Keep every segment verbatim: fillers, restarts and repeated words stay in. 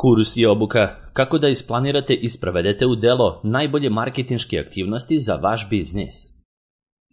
Kurs i obuka kako da isplanirate i sprovedete u delo najbolje marketinške aktivnosti za vaš biznis.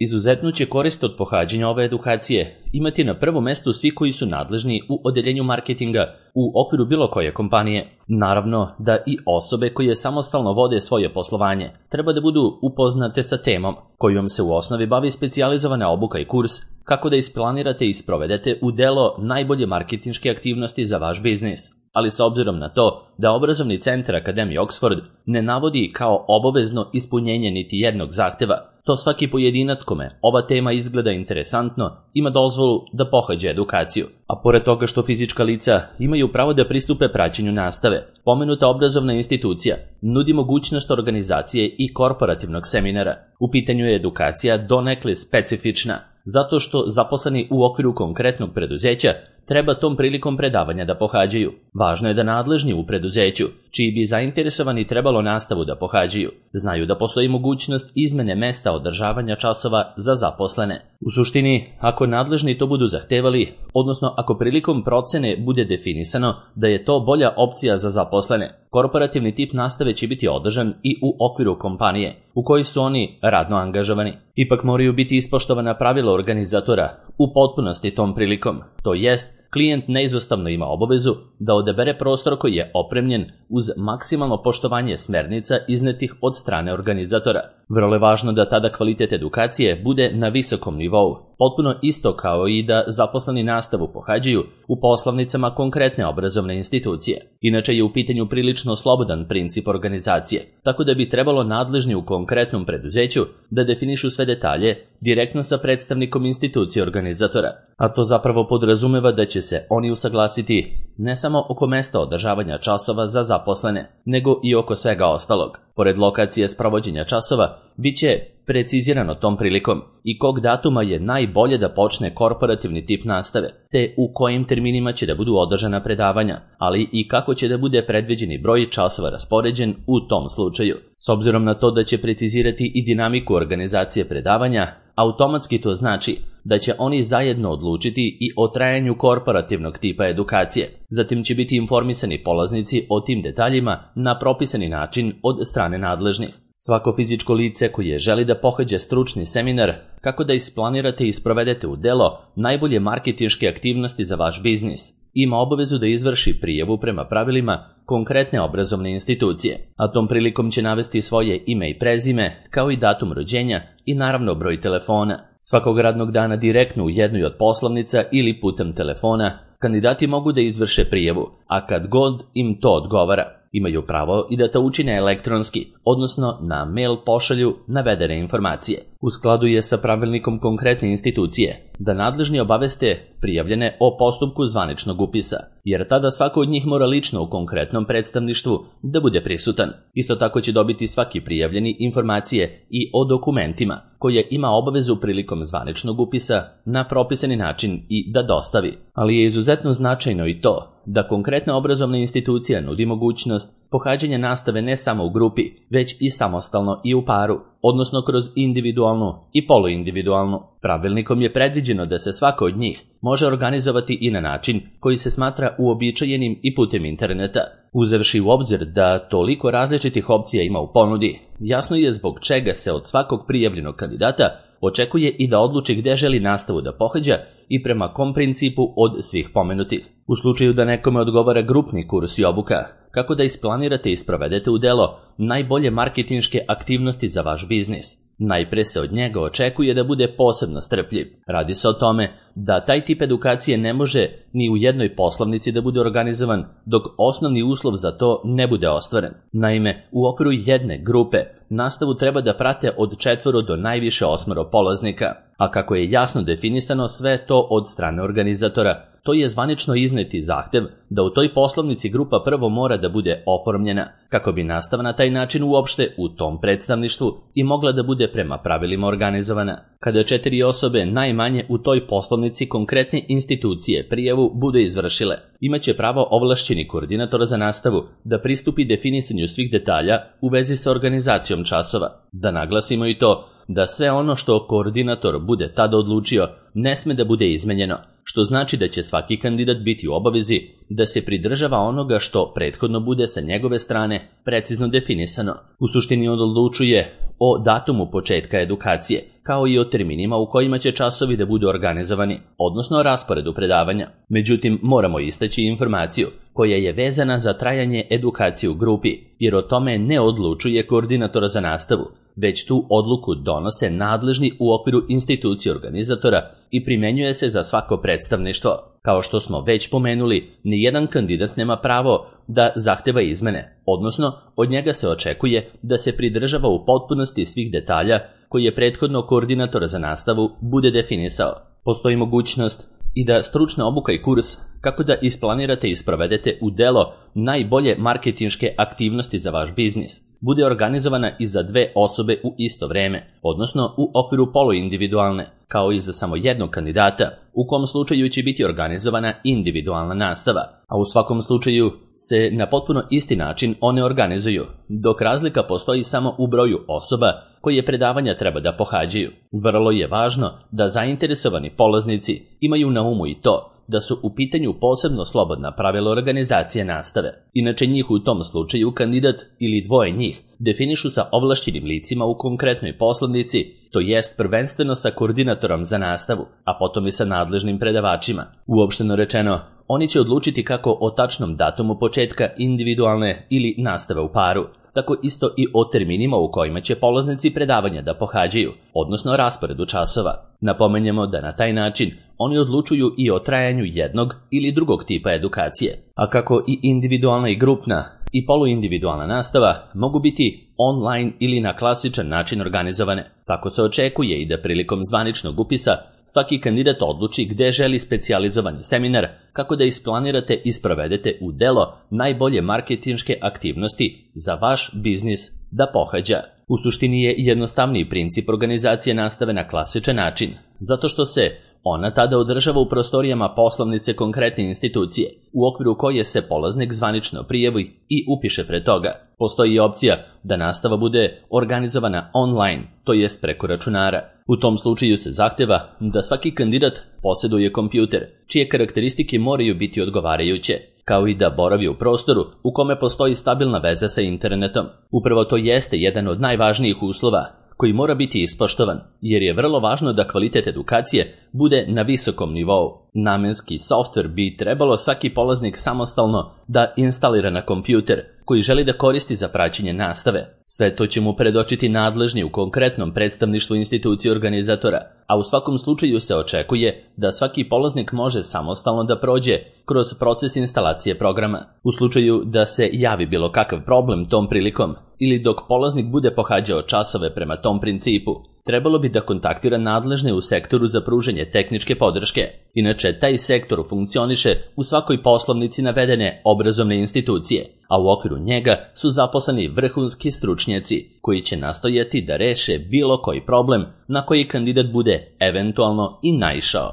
Izuzetnu će korist od pohađanja ove edukacije imati na prvom mestu svi koji su nadležni u odeljenju marketinga u okviru bilo koje kompanije. Naravno da i osobe koje samostalno vode svoje poslovanje treba da budu upoznate sa temom kojom se u osnovi bavi specijalizovana obuka i kurs kako da isplanirate i sprovedete u delo najbolje marketinške aktivnosti za vaš biznis. Ali s obzirom na to da obrazovni centar Akademije Oxford ne navodi kao obavezno ispunjenje niti jednog zahteva, to svaki pojedinac kome ova tema izgleda interesantno ima dozvolu da pohađa edukaciju. A pored toga što fizička lica imaju pravo da pristupe praćenju nastave, pomenuta obrazovna institucija nudi mogućnost organizacije i korporativnog seminara. U pitanju je edukacija donekle specifična, zato što zaposleni u okviru konkretnog preduzeća treba tom prilikom predavanja da pohađaju. Važno je da nadležni u preduzeću, čiji bi zainteresovani trebalo nastavu da pohađaju, znaju da postoji mogućnost izmene mesta održavanja časova za zaposlene. U suštini, ako nadležni to budu zahtevali, odnosno ako prilikom procene bude definisano da je to bolja opcija za zaposlene, korporativni tip nastave će biti održan i u okviru kompanije u kojoj su oni radno angažovani. Ipak moraju biti ispoštovana pravila organizatora u potpunosti tom prilikom, to jest klijent neizostavno ima obavezu da odabere prostor koji je opremljen uz maksimalno poštovanje smernica iznetih od strane organizatora. Vrlo je važno da tada kvalitet edukacije bude na visokom nivou, potpuno isto kao i da zaposleni nastavu pohađaju u poslovnicama konkretne obrazovne institucije. Inače je u pitanju prilično slobodan princip organizacije, tako da bi trebalo nadležni u konkretnom preduzeću da definišu sve detalje direktno sa predstavnikom institucije organizatora, a to zapravo podrazumeva da će se oni usaglasiti ne samo oko mesta održavanja časova za zaposlene, nego i oko svega ostalog. Pored lokacije sprovođenja časova, bit će precizirano tom prilikom i kog datuma je najbolje da počne korporativni tip nastave, te u kojim terminima će da budu održana predavanja, ali i kako će da bude predviđeni broj časova raspoređen u tom slučaju. S obzirom na to da će precizirati i dinamiku organizacije predavanja, automatski to znači da će oni zajedno odlučiti i o trajanju korporativnog tipa edukacije. Zatim će biti informisani polaznici o tim detaljima na propisani način od strane nadležnih. Svako fizičko lice koje želi da pohađa stručni seminar kako da isplanirate i sprovedete u delo najbolje marketinške aktivnosti za vaš biznis, ima obavezu da izvrši prijavu prema pravilima konkretne obrazovne institucije, a tom prilikom će navesti svoje ime i prezime, kao i datum rođenja i naravno broj telefona. Svakog radnog dana direktno u jednoj od poslovnica ili putem telefona kandidati mogu da izvrše prijavu, a kad god im to odgovara. Imaju pravo i da to učine elektronski, odnosno na mail pošalju navedene informacije. U skladu je sa pravilnikom konkretne institucije da nadležni obaveste prijavljene o postupku zvaničnog upisa, jer tada svako od njih mora lično u konkretnom predstavništvu da bude prisutan. Isto tako će dobiti svaki prijavljeni informacije i o dokumentima koje ima obavezu prilikom zvaničnog upisa na propisani način i da dostavi. Ali je izuzetno značajno i to da konkretna obrazovna institucija nudi mogućnost pohađanja nastave ne samo u grupi, već i samostalno i u paru, odnosno kroz individualnu i poluindividualnu. Pravilnikom je predviđeno da se svako od njih može organizovati i na način koji se smatra uobičajenim i putem interneta. Uzevši u obzir da toliko različitih opcija ima u ponudi, jasno je zbog čega se od svakog prijavljenog kandidata očekuje i da odluči gde želi nastavu da pohađa i prema kom principu od svih pomenutih. U slučaju da nekome odgovara grupni kurs i obuka, kako da isplanirate i sprovedete u delo najbolje marketinške aktivnosti za vaš biznis, najpre se od njega očekuje da bude posebno strpljiv. Radi se o tome da taj tip edukacije ne može ni u jednoj poslovnici da bude organizovan dok osnovni uslov za to ne bude ostvaren. Naime, u okviru jedne grupe nastavu treba da prate od četvoro do najviše osmoro polaznika, a kako je jasno definisano sve to od strane organizatora, to je zvanično izneti zahtev da u toj poslovnici grupa prvo mora da bude oformljena, kako bi nastava na taj način uopšte u tom predstavništvu i mogla da bude prema pravilima organizovana. Kada četiri osobe najmanje u toj poslovnici konkretne institucije prijavu bude izvršile, imaće pravo ovlašćeni koordinator za nastavu da pristupi definisanju svih detalja u vezi sa organizacijom časova. Da naglasimo i to da sve ono što koordinator bude tada odlučio ne sme da bude izmenjeno, što znači da će svaki kandidat biti u obavezi da se pridržava onoga što prethodno bude sa njegove strane precizno definisano. U suštini on odlučuje o datumu početka edukacije, kao i o terminima u kojima će časovi da budu organizovani, odnosno o rasporedu predavanja. Međutim, moramo istaći informaciju koja je vezana za trajanje edukacije u grupi, jer o tome ne odlučuje koordinator za nastavu, već tu odluku donose nadležni u okviru institucije organizatora i primenjuje se za svako predstavništvo. Kao što smo već pomenuli, nijedan kandidat nema pravo da zahteva izmene, odnosno od njega se očekuje da se pridržava u potpunosti svih detalja koje je prethodno koordinator za nastavu bude definisao. Postoji mogućnost i da stručna obuka i kurs kako da isplanirate i sprovedete u delo najbolje marketinške aktivnosti za vaš biznis bude organizovana i za dve osobe u isto vreme, odnosno u okviru poluindividualne, kao i za samo jednog kandidata, u kom slučaju će biti organizovana individualna nastava, a u svakom slučaju se na potpuno isti način one organizuju, dok razlika postoji samo u broju osoba koje predavanja treba da pohađaju. Vrlo je važno da zainteresovani polaznici imaju na umu i to da su u pitanju posebno slobodna pravila organizacije nastave. Inače njih u tom slučaju kandidat ili dvoje njih definišu sa ovlašćenim licima u konkretnoj poslovnici, to jest prvenstveno sa koordinatorom za nastavu, a potom i sa nadležnim predavačima. Uopšteno rečeno, oni će odlučiti kako o tačnom datumu početka individualne ili nastave u paru, tako isto i o terminima u kojima će polaznici predavanja da pohađaju, odnosno rasporedu časova. Napomenjemo da na taj način oni odlučuju i o trajanju jednog ili drugog tipa edukacije, a kako i individualna i grupna i poluindividualna nastava mogu biti online ili na klasičan način organizovane. Tako se očekuje i da prilikom zvaničnog upisa svaki kandidat odluči gde želi specijalizovani seminar, kako da isplanirate i sprovedete u delo najbolje marketinške aktivnosti za vaš biznis da pohađa. U suštini je jednostavniji princip organizacije nastave na klasičan način, zato što se ona tada održava u prostorijama poslovnice konkretne institucije, u okviru koje se polaznik zvanično prijavi i upiše pre toga. Postoji i opcija da nastava bude organizovana online, to jest preko računara. U tom slučaju se zahteva da svaki kandidat posjeduje kompjuter, čije karakteristike moraju biti odgovarajuće, kao i da boravi u prostoru u kome postoji stabilna veza sa internetom. Upravo to jeste jedan od najvažnijih uslova koji mora biti ispoštovan, jer je vrlo važno da kvalitet edukacije bude na visokom nivou. Namenski softver bi trebalo svaki polaznik samostalno da instalira na kompjuter koji želi da koristi za praćenje nastave. Sve to će mu predočiti nadležni u konkretnom predstavništvu institucije organizatora, a u svakom slučaju se očekuje da svaki polaznik može samostalno da prođe kroz proces instalacije programa. U slučaju da se javi bilo kakav problem tom prilikom ili dok polaznik bude pohađao časove prema tom principu, trebalo bi da kontaktira nadležne u sektoru za pružanje tehničke podrške. Inače, taj sektor funkcioniše u svakoj poslovnici navedene obrazovne institucije, a u okviru njega su zaposleni vrhunski stručnjaci koji će nastojati da reše bilo koji problem na koji kandidat bude eventualno i naišao.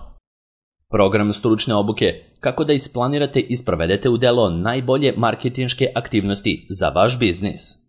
Program stručne obuke kako da isplanirate i sprovedete u delo najbolje marketinške aktivnosti za vaš biznis.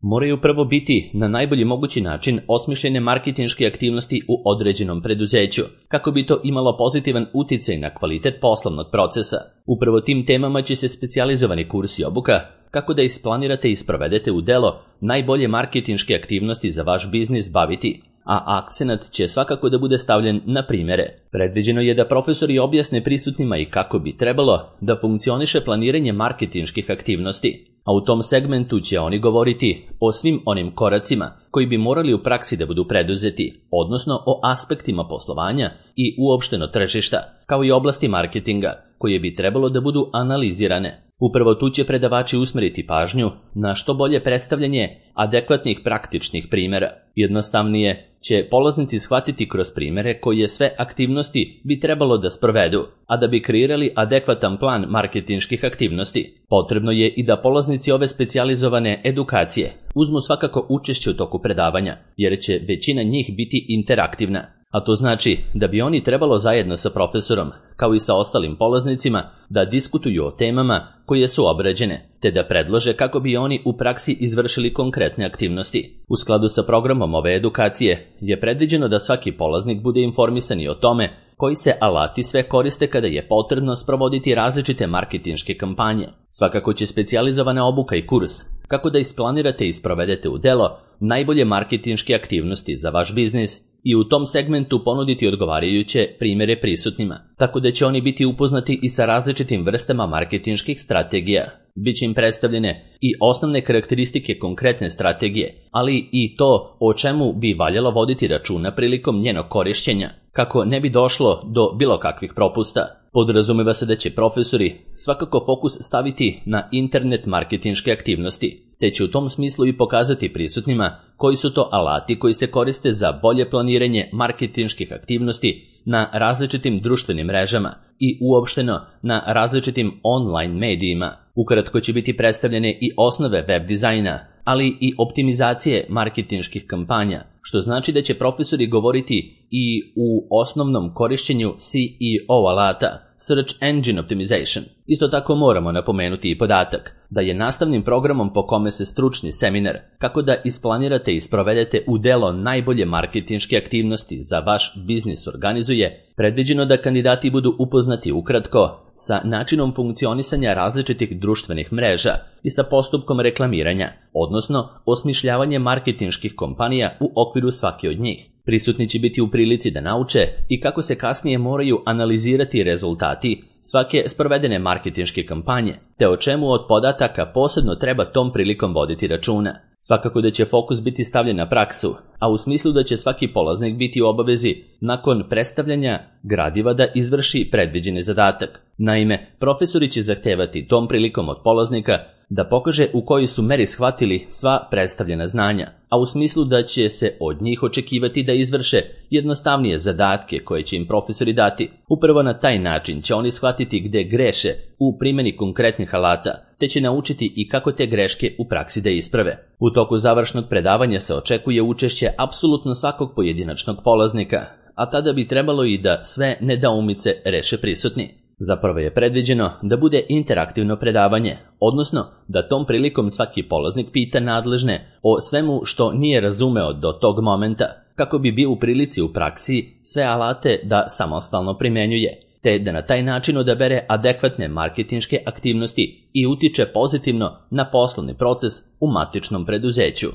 Moraju prvo biti na najbolji mogući način osmišljene marketinške aktivnosti u određenom preduzeću, kako bi to imalo pozitivan uticaj na kvalitet poslovnog procesa. Upravo tim temama će se specijalizovani kurs i obuka kako da isplanirate i sprovedete u delo najbolje marketinške aktivnosti za vaš biznis baviti, a akcenat će svakako da bude stavljen na primere. Predviđeno je da profesori objasne prisutnima i kako bi trebalo da funkcioniše planiranje marketinških aktivnosti, a u tom segmentu će oni govoriti o svim onim koracima koji bi morali u praksi da budu preduzeti, odnosno o aspektima poslovanja i uopšteno tržišta, kao i oblasti marketinga, koje bi trebalo da budu analizirane. Upravo tu će predavači usmeriti pažnju na što bolje predstavljanje adekvatnih praktičnih primjera. Jednostavnije će polaznici shvatiti kroz primjere koje sve aktivnosti bi trebalo da sprovedu, a da bi kreirali adekvatan plan marketinških aktivnosti. Potrebno je i da polaznici ove specijalizovane edukacije uzmu svakako učešće u toku predavanja, jer će većina njih biti interaktivna. A to znači da bi oni trebalo zajedno sa profesorom, kao i sa ostalim polaznicima, da diskutuju o temama koje su obrađene, te da predlože kako bi oni u praksi izvršili konkretne aktivnosti. U skladu sa programom ove edukacije je predviđeno da svaki polaznik bude informisan i o tome koji se alati sve koriste kada je potrebno sprovoditi različite marketinške kampanje. Svakako će specijalizovana obuka i kurs kako da isplanirate i sprovedete u delo najbolje marketinške aktivnosti za vaš biznis i u tom segmentu ponuditi odgovarajuće primjere prisutnima, tako da će oni biti upoznati i sa različitim vrstama marketinških strategija. Biće im predstavljene i osnovne karakteristike konkretne strategije, ali i to o čemu bi valjalo voditi računa prilikom njenog korišćenja, kako ne bi došlo do bilo kakvih propusta. Podrazumeva se da će profesori svakako fokus staviti na internet marketinške aktivnosti, te će u tom smislu i pokazati prisutnima koji su to alati koji se koriste za bolje planiranje marketinških aktivnosti na različitim društvenim mrežama i uopšteno na različitim online medijima. Ukratko će biti predstavljene i osnove web dizajna, ali i optimizacije marketinških kampanja, što znači da će profesori govoriti i u osnovnom korišćenju C E O alata, Search Engine Optimization. Isto tako moramo napomenuti i podatak da je nastavnim programom po kome se stručni seminar kako da isplanirate i sprovedete u delo najbolje marketinške aktivnosti za vaš biznis organizuje, predviđeno da kandidati budu upoznati ukratko sa načinom funkcionisanja različitih društvenih mreža i sa postupkom reklamiranja, odnosno osmišljavanje marketinških kompanija u okviru svake od njih. Prisutni će biti u prilici da nauče i kako se kasnije moraju analizirati rezultati svake sprovedene marketinške kampanje, te o čemu od podataka posebno treba tom prilikom voditi računa. Svakako da će fokus biti stavljen na praksu, a u smislu da će svaki polaznik biti u obavezi nakon predstavljanja gradiva da izvrši predviđeni zadatak. Naime, profesori će zahtevati tom prilikom od polaznika da pokaže u kojoj su meri shvatili sva predstavljena znanja, a u smislu da će se od njih očekivati da izvrše jednostavnije zadatke koje će im profesori dati. Upravo na taj način će oni shvatiti gde greše u primjeni konkretnih alata, te će naučiti i kako te greške u praksi da isprave. U toku završnog predavanja se očekuje učešće apsolutno svakog pojedinačnog polaznika, a tada bi trebalo i da sve nedoumice reše prisutni. Zapravo je predviđeno da bude interaktivno predavanje, odnosno da tom prilikom svaki polaznik pita nadležne o svemu što nije razumeo do tog momenta, kako bi bio u prilici u praksi sve alate da samostalno primenjuje, te da na taj način odabere adekvatne marketinške aktivnosti i utiče pozitivno na poslovni proces u matičnom preduzeću.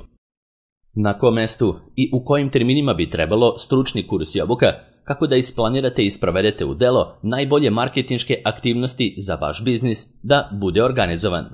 Na kom mestu i u kojim terminima bi trebalo stručni kurs i obuka, kako da isplanirate i sprovedete u delo najbolje marketinške aktivnosti za vaš biznis da bude organizovan.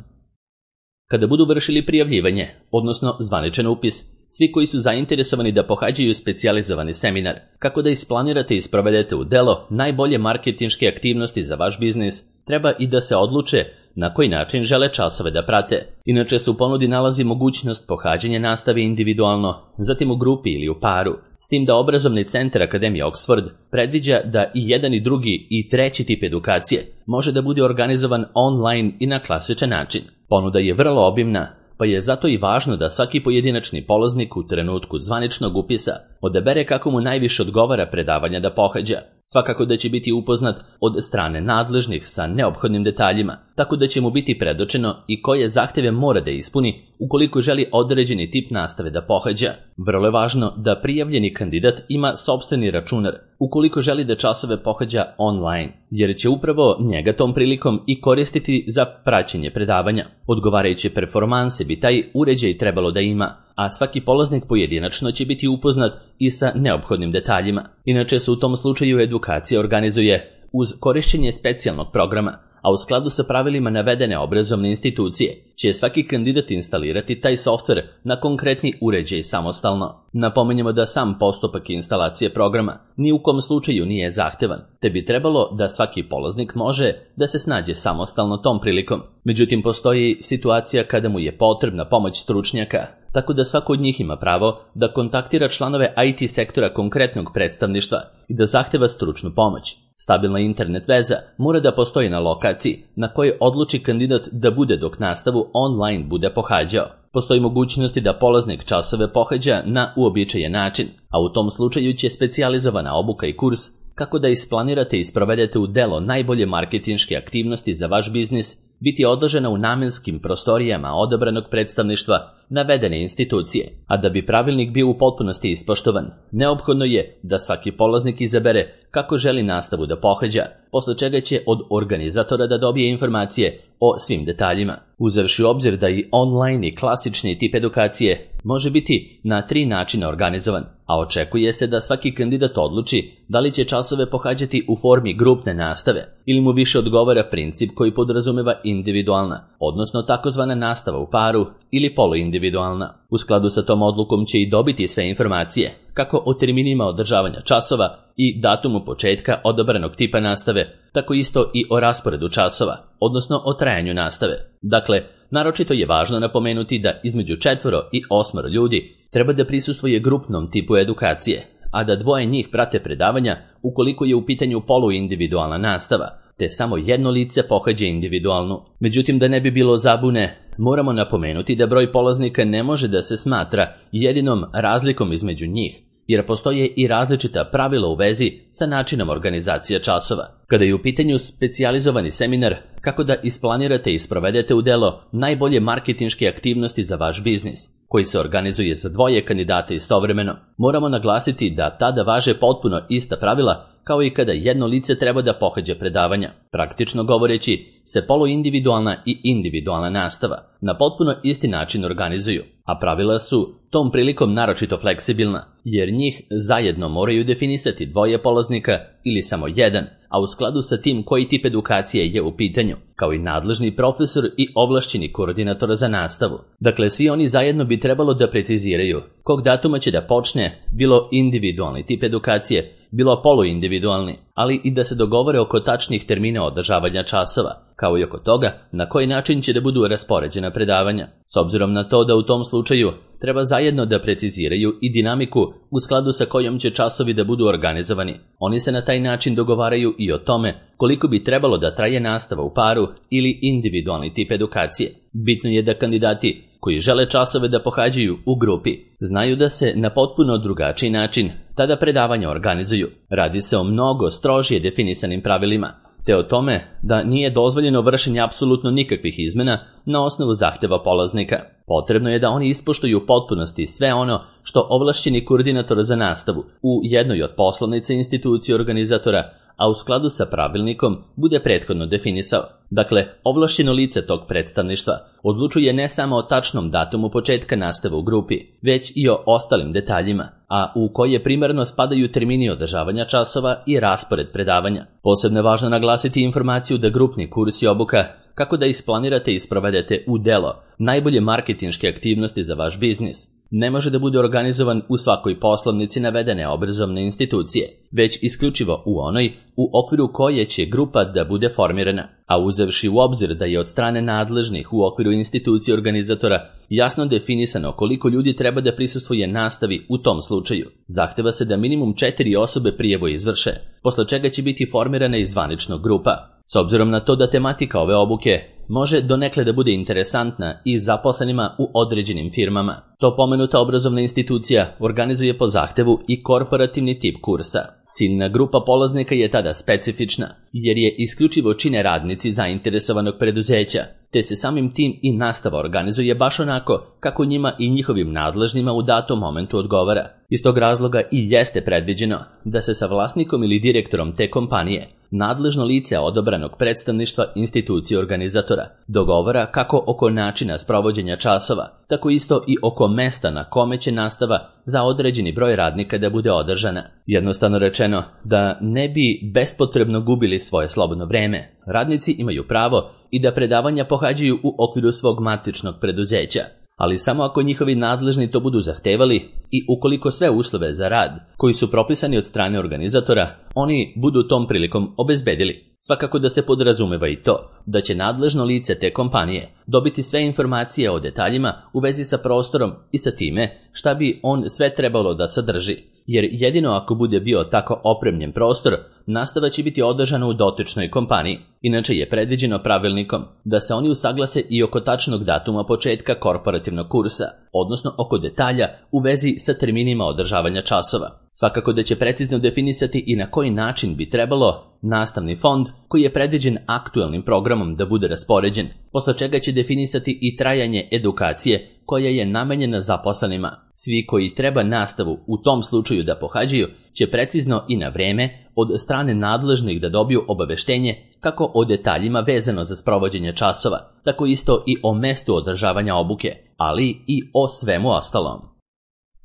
Kada budu vršili prijavljivanje, odnosno zvaničan upis, svi koji su zainteresovani da pohađaju specijalizovani seminar, kako da isplanirate i sprovedete u delo najbolje marketinške aktivnosti za vaš biznis, treba i da se odluče na koji način žele časove da prate. Inače se u ponudi nalazi mogućnost pohađanja nastave individualno, zatim u grupi ili u paru, s tim da obrazovni centar Akademije Oxford predviđa da i jedan i drugi i treći tip edukacije može da bude organizovan online i na klasičan način. Ponuda je vrlo obimna, pa je zato i važno da svaki pojedinačni polaznik u trenutku zvaničnog upisa odabere kako mu najviše odgovara predavanja da pohađa. Svakako da će biti upoznat od strane nadležnih sa neophodnim detaljima, tako da će mu biti predočeno i koje zahteve mora da ispuni ukoliko želi određeni tip nastave da pohađa. Vrlo je važno da prijavljeni kandidat ima sopstveni računar ukoliko želi da časove pohađa online, jer će upravo njega tom prilikom i koristiti za praćenje predavanja. Odgovarajuće performanse bi taj uređaj trebalo da ima, a svaki polaznik pojedinačno će biti upoznat i sa neophodnim detaljima. Inače se u tom slučaju edukacija organizuje uz korišćenje specijalnog programa, a u skladu sa pravilima navedene obrazovne institucije će svaki kandidat instalirati taj softver na konkretni uređaj samostalno. Napominjemo da sam postupak instalacije programa ni u kom slučaju nije zahtevan, te bi trebalo da svaki polaznik može da se snađe samostalno tom prilikom. Međutim, postoji situacija kada mu je potrebna pomoć stručnjaka, tako da svako od njih ima pravo da kontaktira članove I T sektora konkretnog predstavništva i da zahteva stručnu pomoć. Stabilna internet veza mora da postoji na lokaciji na kojoj odluči kandidat da bude dok nastavu online bude pohađao. Postoji mogućnosti da polaznik časove pohađa na uobičajen način, a u tom slučaju će specijalizovana obuka i kurs kako da isplanirate i sprovedete u delo najbolje marketinške aktivnosti za vaš biznis, biti odložena u namenskim prostorijama odabranog predstavništva navedene institucije, a da bi pravilnik bio u potpunosti ispoštovan, neophodno je da svaki polaznik izabere kako želi nastavu da pohađa, posle čega će od organizatora da dobije informacije o svim detaljima. Uzevši u obzir da i online i klasični tip edukacije može biti na tri načina organizovan, a očekuje se da svaki kandidat odluči da li će časove pohađati u formi grupne nastave ili mu više odgovara princip koji podrazumeva individualna, odnosno takozvana nastava u paru ili poluindividualna. U skladu sa tom odlukom će i dobiti sve informacije, kako o terminima održavanja časova i datumu početka odabranog tipa nastave, tako isto i o rasporedu časova, odnosno o trajanju nastave. Dakle, naročito je važno napomenuti da između četvoro i osmoro ljudi treba da prisustvuje grupnom tipu edukacije, a da dvoje njih prate predavanja ukoliko je u pitanju poluindividualna nastava, te samo jedno lice pohađa individualnu. Međutim, da ne bi bilo zabune, moramo napomenuti da broj polaznika ne može da se smatra jedinom razlikom između njih, jer postoje i različita pravila u vezi sa načinom organizacije časova. Kada je u pitanju specijalizovani seminar kako da isplanirate i sprovedete u delo najbolje marketinške aktivnosti za vaš biznis, koji se organizuje za dvoje kandidata istovremeno, moramo naglasiti da tada važe potpuno ista pravila kao i kada jedno lice treba da pohađa predavanja. Praktično govoreći se poluindividualna i individualna nastava na potpuno isti način organizuju, a pravila su tom prilikom naročito fleksibilna, jer njih zajedno moraju definisati dvoje polaznika ili samo jedan, a u skladu sa tim koji tip edukacije je u pitanju, kao i nadležni profesor i ovlašćeni koordinator za nastavu. Dakle, svi oni zajedno bi trebalo da preciziraju kog datuma će da počne bilo individualni tip edukacije, bilo poluindividualni, ali i da se dogovore oko tačnih termina održavanja časova, kao i oko toga na koji način će da budu raspoređena predavanja. S obzirom na to da u tom slučaju treba zajedno da preciziraju i dinamiku u skladu sa kojom će časovi da budu organizovani. Oni se na taj način dogovaraju i o tome koliko bi trebalo da traje nastava u paru ili individualni tip edukacije. Bitno je da kandidati koji žele časove da pohađaju u grupi znaju da se na potpuno drugačiji način tada predavanja organizuju. Radi se o mnogo strožije definisanim pravilima, te o tome da nije dozvoljeno vršenje apsolutno nikakvih izmena na osnovu zahteva polaznika. Potrebno je da oni ispoštuju u potpunosti sve ono što ovlašćeni koordinator za nastavu u jednoj od poslovnica institucije organizatora, a u skladu sa pravilnikom bude prethodno definisao. Dakle, ovlašćeno lice tog predstavništva odlučuje ne samo o tačnom datumu početka nastave u grupi, već i o ostalim detaljima, a u koje primarno spadaju termini održavanja časova i raspored predavanja. Posebno je važno naglasiti informaciju da grupni kurs i obuka kako da isplanirate i sprovedete u delo najbolje marketinške aktivnosti za vaš biznis ne može da bude organizovan u svakoj poslovnici navedene obrazovne institucije, već isključivo u onoj u okviru koje će grupa da bude formirana, a uzevši u obzir da je od strane nadležnih u okviru institucije organizatora jasno definisano koliko ljudi treba da prisustvuje nastavi u tom slučaju. Zahteva se da minimum četiri osobe prijavu izvrše, posle čega će biti formirana i zvanična grupa. S obzirom na to da tematika ove obuke može donekle da bude interesantna i zaposlenima u određenim firmama, to pomenuta obrazovna institucija organizuje po zahtevu i korporativni tip kursa. Ciljna grupa polaznika je tada specifična, jer je isključivo čine radnici zainteresovanog preduzeća, te se samim tim i nastava organizuje baš onako kako njima i njihovim nadležnima u datom momentu odgovara. Iz tog razloga i jeste predviđeno da se sa vlasnikom ili direktorom te kompanije nadležno lice odabranog predstavništva institucije organizatora dogovara kako oko načina sprovođenja časova, tako isto i oko mesta na kome će nastava za određeni broj radnika da bude održana. Jednostavno rečeno, da ne bi bespotrebno gubili svoje slobodno vreme, radnici imaju pravo i da predavanja pohađaju u okviru svog matičnog preduzeća, ali samo ako njihovi nadležni to budu zahtevali i ukoliko sve uslove za rad koji su propisani od strane organizatora, oni budu tom prilikom obezbedili. Svakako da se podrazumeva i to da će nadležno lice te kompanije dobiti sve informacije o detaljima u vezi sa prostorom i sa time šta bi on sve trebalo da sadrži, jer jedino ako bude bio tako opremljen prostor, nastava će biti održana u dotičnoj kompaniji. Inače je predviđeno pravilnikom da se oni usaglase i oko tačnog datuma početka korporativnog kursa, odnosno oko detalja u vezi sa terminima održavanja časova. Svakako da će precizno definisati i na koji način bi trebalo nastavni fond koji je predviđen aktualnim programom da bude raspoređen, posle čega će definisati i trajanje edukacije koja je namenjena zaposlenima. Svi koji treba nastavu u tom slučaju da pohađaju će precizno i na vreme od strane nadležnih da dobiju obaveštenje kako o detaljima vezano za sprovođenje časova, tako isto i o mestu održavanja obuke, ali i o svemu ostalom.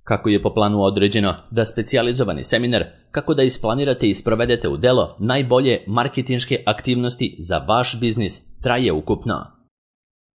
Kako je po planu određeno da specijalizovani seminar kako da isplanirate i sprovedete u delo najbolje marketinške aktivnosti za vaš biznis traje ukupno.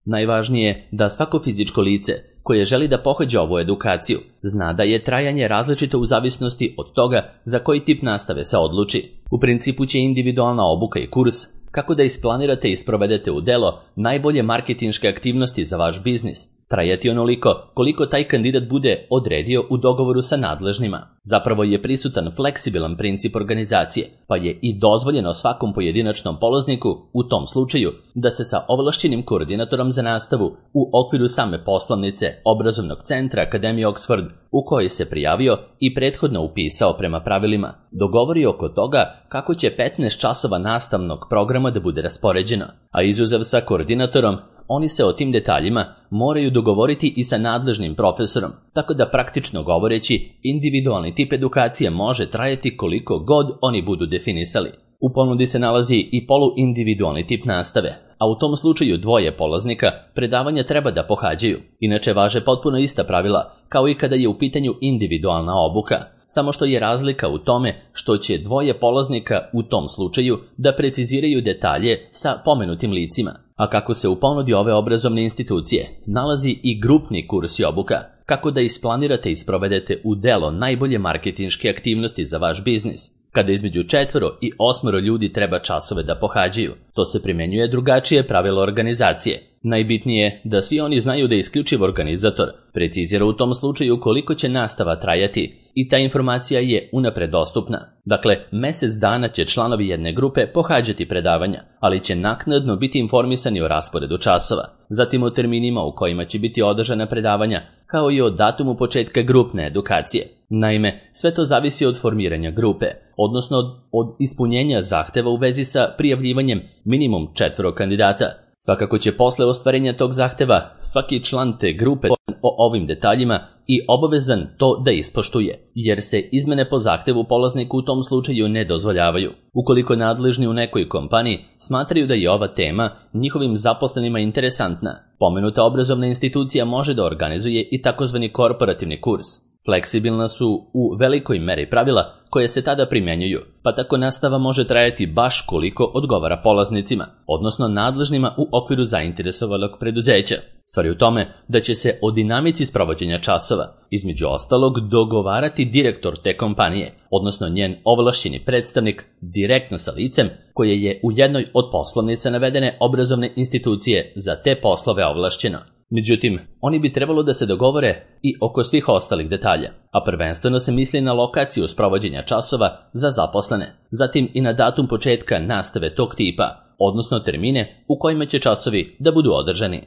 Najvažnije je da svako fizičko lice koje želi da pohađa ovu edukaciju zna da je trajanje različito u zavisnosti od toga za koji tip nastave se odluči. U principu će individualna obuka i kurs kako da isplanirate i sprovedete u delo najbolje marketinške aktivnosti za vaš biznis trajati onoliko koliko taj kandidat bude odredio u dogovoru sa nadležnima. Zapravo je prisutan fleksibilan princip organizacije, pa je i dozvoljeno svakom pojedinačnom polazniku u tom slučaju da se sa ovlašćenim koordinatorom za nastavu u okviru same poslovnice obrazovnog centra Akademije Oxford u kojoj se prijavio i prethodno upisao prema pravilima, dogovori oko toga kako će petnaest časova nastavnog programa da bude raspoređeno, a izuzev sa koordinatorom, oni se o tim detaljima moraju dogovoriti i sa nadležnim profesorom, tako da praktično govoreći, individualni tip edukacije može trajati koliko god oni budu definisali. U ponudi se nalazi i poluindividualni tip nastave, a u tom slučaju dvoje polaznika predavanja treba da pohađaju. Inače važe potpuno ista pravila, kao i kada je u pitanju individualna obuka, samo što je razlika u tome što će dvoje polaznika u tom slučaju da preciziraju detalje sa pomenutim licima. A kako se u ponudi ove obrazovne institucije nalazi i grupni kurs i obuka, kako da isplanirate i sprovedete u delo najbolje marketinške aktivnosti za vaš biznis, kada između četvoro i osmoro ljudi treba časove da pohađaju. To se primjenjuje drugačije pravilo organizacije. Najbitnije je da svi oni znaju da isključiv organizator precizira u tom slučaju koliko će nastava trajati i ta informacija je unapred dostupna. Dakle, mjesec dana će članovi jedne grupe pohađati predavanja, ali će naknadno biti informisani o rasporedu časova, zatim o terminima u kojima će biti održana predavanja, kao i o datumu početka grupne edukacije. Naime, sve to zavisi od formiranja grupe, odnosno od ispunjenja zahteva u vezi sa prijavljivanjem minimum četvoro kandidata. Svakako će posle ostvarenja tog zahteva svaki član te grupe o ovim detaljima i obavezan to da ispoštuje, jer se izmene po zahtevu polazniku u tom slučaju ne dozvoljavaju. Ukoliko nadležni u nekoj kompaniji smatraju da je ova tema njihovim zaposlenima interesantna, pomenuta obrazovna institucija može da organizuje i takozvani korporativni kurs. Fleksibilna su u velikoj meri pravila koje se tada primjenjuju, pa tako nastava može trajati baš koliko odgovara polaznicima, odnosno nadležnima u okviru zainteresovanog preduzeća. Stvar je u tome da će se o dinamici sprovođenja časova, između ostalog, dogovarati direktor te kompanije, odnosno njen ovlašćeni predstavnik direktno sa licem koje je u jednoj od poslovnica navedene obrazovne institucije za te poslove ovlašćeno. Međutim, oni bi trebalo da se dogovore i oko svih ostalih detalja, a prvenstveno se misli na lokaciju sprovođenja časova za zaposlene, zatim i na datum početka nastave tog tipa, odnosno termine u kojima će časovi da budu održani.